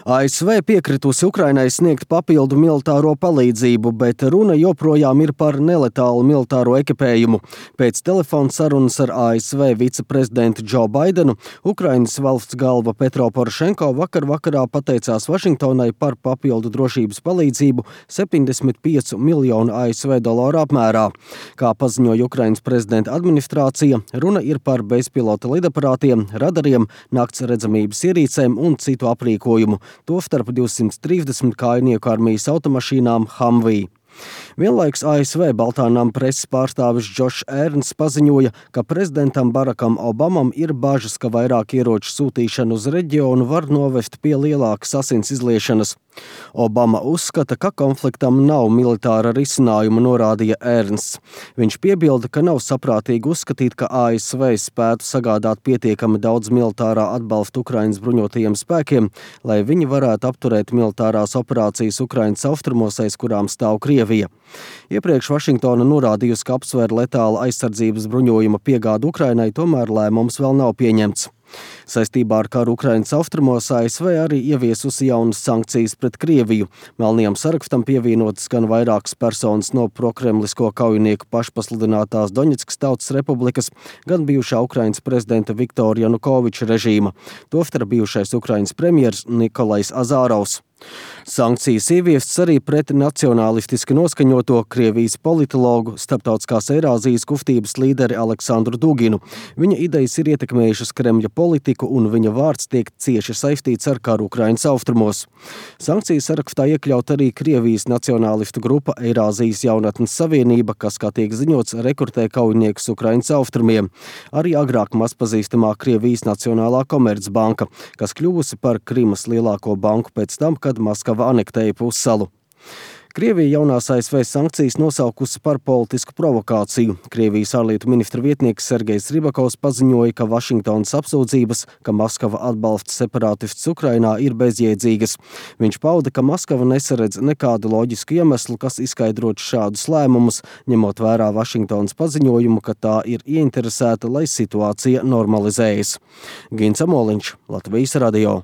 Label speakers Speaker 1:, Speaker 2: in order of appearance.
Speaker 1: ASV piekritusi Ukrainai sniegt papildu militāro palīdzību, bet runa joprojām ir par neletālu militāro ekipējumu. Pēc telefona sarunas ar ASV viceprezidentu Džo Baidenu, Ukrainas valsts galva Petro Porošenko vakarā pateicās Vašingtonai par papildu drošības palīdzību 75 miljonu ASV dolāru apmērā. Kā paziņoja Ukrainas prezidenta administrācija, runa ir par bezpilota lidaparātiem, radariem, nakts redzamības ierīcēm un citu aprīkojumu. Tostarp 230 kājnieku armijas automašīnām Humvee. Vienlaiks ASV Baltā nama preses pārstāvis Džošs Ērnsts paziņoja, ka prezidentam Barakam Obamam ir bažas, ka vairāk ieroču sūtīšana uz reģionu var novest pie lielākas asins izliešanas. Obama uzskata, ka konfliktam nav militāra risinājuma, norādīja Ērnsts. Viņš piebilda, ka nav saprātīgi uzskatīt, ka ASV spētu sagādāt pietiekami daudz militārā atbalsta Ukrainas bruņotajiem spēkiem, lai viņi varētu apturēt militārās operācijas Ukrainas austrumos, aiz kurām stāv Krievija. Iepriekš Vašingtona norādījusi, ka apsver letāla aizsardzības bruņojuma piegādu Ukrainai, tomēr lēmums vēl nav pieņemts. Saistībā ar karu Ukrainas austrumos ASV arī ieviesusi jaunas sankcijas pret Krieviju. Melnajam sarakstam pievienotas gan vairākas personas no prokremlisko kaujinieku pašpasludinātās Doņetskas Tautas Republikas, gan bijušā Ukrainas prezidenta Viktora Janukoviča režīma, tostarp bijušais Ukrainas premjers Nikolais Azārovs. Sankcijas ieviestas arī pret nacionālistiski noskaņoto Krievijas politologu, Starptautiskās Eirāzijas kustības līderi Aleksandru Duginu. Viņa idejas ir ietekmējušas Kremļa politiku un viņa vārds tiek cieši saistīts ar karu Ukrainas austrumos. Sankciju sarakstā iekļaut arī Krievijas nacionālistu grupa Eirāzijas jaunatnes savienība, kas, kā tiek ziņots, rekrutē kaujiniekus Ukrainas austrumiem. Arī agrāk mazpazīstamā Krievijas Nacionālā komercbanka, kas kļuvusi par Krimas lielāko banku pēc tam, kad Maskava anektēja pussalu. Krievija jaunās ASV sankcijas nosaukusi par politisku provokāciju. Krievijas ārlietu ministra vietnieks Sergejs Ribakovs paziņoja, ka Vašingtonas apsūdzības, ka Maskava atbalsta separātistus Ukrainā, ir bezjēdzīgas. Viņš pauda, ka Maskava nesaredz nekādu loģisku iemeslu, kas izskaidrotu šādus lēmumus, ņemot vērā Vašingtonas paziņojumu, ka tā ir ieinteresēta, lai situācija normalizējas. Gins Amoliņš, Latvijas radio.